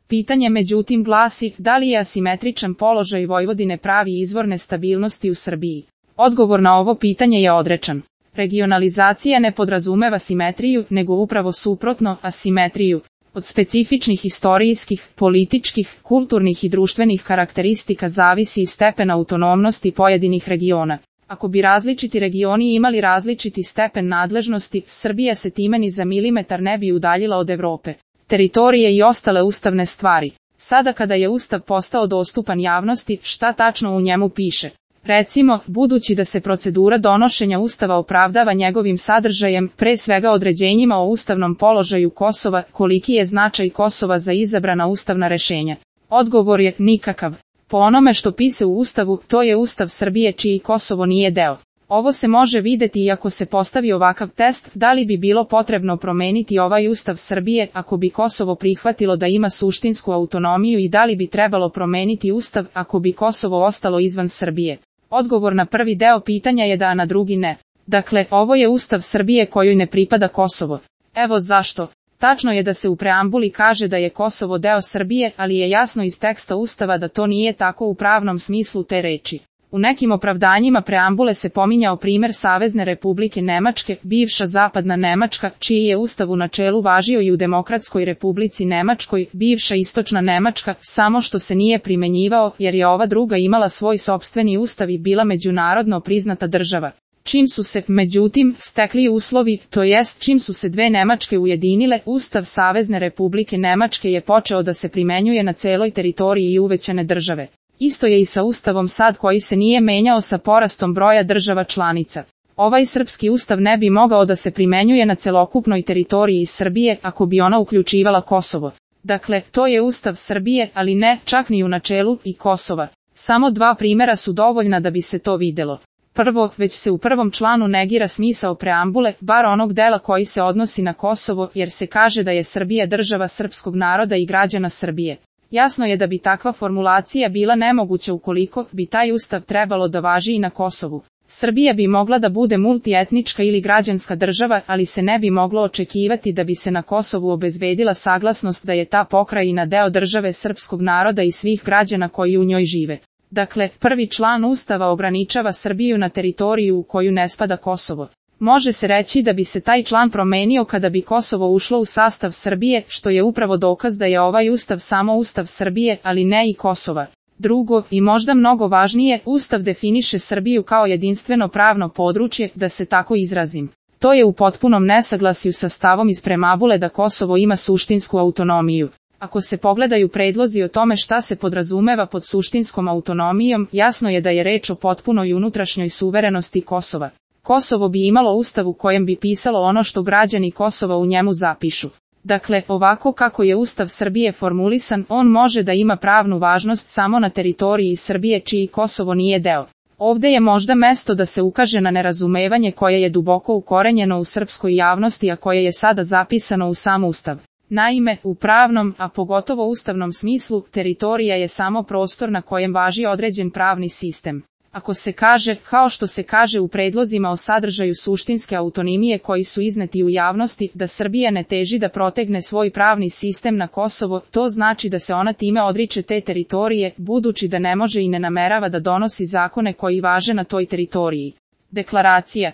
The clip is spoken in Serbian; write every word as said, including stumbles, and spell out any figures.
Pitanje međutim glasi, da li je asimetričan položaj Vojvodine pravi izvor nestabilnosti u Srbiji? Odgovor na ovo pitanje je odrečan. Regionalizacija ne podrazumeva simetriju, nego upravo suprotno, asimetriju. Od specifičnih istorijskih, političkih, kulturnih i društvenih karakteristika zavisi i stepen autonomnosti pojedinih regiona. Ako bi različiti regioni imali različiti stepen nadležnosti, Srbija se time ni za milimetar ne bi udaljila od Evrope, teritorije i ostale ustavne stvari. Sada kada je Ustav postao dostupan javnosti, šta tačno u njemu piše? Recimo, budući da se procedura donošenja Ustava opravdava njegovim sadržajem, pre svega određenjima o ustavnom položaju Kosova, koliki je značaj Kosova za izabrana ustavna rešenja? Odgovor je nikakav. Po onome što piše u Ustavu, to je Ustav Srbije čiji Kosovo nije deo. Ovo se može videti i ako se postavi ovakav test, da li bi bilo potrebno promeniti ovaj Ustav Srbije ako bi Kosovo prihvatilo da ima suštinsku autonomiju i da li bi trebalo promeniti Ustav ako bi Kosovo ostalo izvan Srbije. Odgovor na prvi deo pitanja je da, a na drugi ne. Dakle, ovo je Ustav Srbije kojoj ne pripada Kosovo. Evo zašto. Tačno je da se u preambuli kaže da je Kosovo deo Srbije, ali je jasno iz teksta Ustava da to nije tako u pravnom smislu te reči. U nekim opravdanjima preambule se pominjao primer Savezne Republike Nemačke, bivša zapadna Nemačka, čiji je Ustav u načelu važio i u Demokratskoj Republici Nemačkoj, bivša istočna Nemačka, samo što se nije primenjivao jer je ova druga imala svoj sopstveni ustav i bila međunarodno priznata država. Čim su se, međutim, stekli uslovi, to jest čim su se dve Nemačke ujedinile, Ustav Savezne Republike Nemačke je počeo da se primenjuje na celoj teritoriji i uvećane države. Isto je i sa Ustavom sad koji se nije menjao sa porastom broja država članica. Ovaj srpski ustav ne bi mogao da se primenjuje na celokupnoj teritoriji Srbije ako bi ona uključivala Kosovo. Dakle, to je Ustav Srbije, ali ne, čak ni u načelu, i Kosova. Samo dva primjera su dovoljna da bi se to videlo. Prvo, već se u prvom članu negira smisao preambule, bar onog dela koji se odnosi na Kosovo, jer se kaže da je Srbija država srpskog naroda i građana Srbije. Jasno je da bi takva formulacija bila nemoguća ukoliko bi taj ustav trebalo da važi i na Kosovu. Srbija bi mogla da bude multietnička ili građanska država, ali se ne bi moglo očekivati da bi se na Kosovu obezbedila saglasnost da je ta pokrajina deo države srpskog naroda i svih građana koji u njoj žive. Dakle, prvi član Ustava ograničava Srbiju na teritoriju u koju ne spada Kosovo. Može se reći da bi se taj član promenio kada bi Kosovo ušlo u sastav Srbije, što je upravo dokaz da je ovaj Ustav samo Ustav Srbije, ali ne i Kosova. Drugo, i možda mnogo važnije, Ustav definiše Srbiju kao jedinstveno pravno područje, da se tako izrazim. To je u potpunom nesaglasju sa stavom iz preambule da Kosovo ima suštinsku autonomiju. Ako se pogledaju predlozi o tome šta se podrazumeva pod suštinskom autonomijom, jasno je da je reč o potpunoj unutrašnjoj suverenosti Kosova. Kosovo bi imalo ustav u kojem bi pisalo ono što građani Kosova u njemu zapišu. Dakle, ovako kako je Ustav Srbije formulisan, on može da ima pravnu važnost samo na teritoriji Srbije čiji Kosovo nije deo. Ovde je možda mesto da se ukaže na nerazumevanje koje je duboko ukorenjeno u srpskoj javnosti, a koje je sada zapisano u sam Ustav. Naime, u pravnom, a pogotovo ustavnom smislu, teritorija je samo prostor na kojem važi određen pravni sistem. Ako se kaže, kao što se kaže u predlozima o sadržaju suštinske autonomije koji su izneti u javnosti, da Srbija ne teži da protegne svoj pravni sistem na Kosovo, to znači da se ona time odriče te teritorije, budući da ne može i ne namerava da donosi zakone koji važe na toj teritoriji. Deklaracija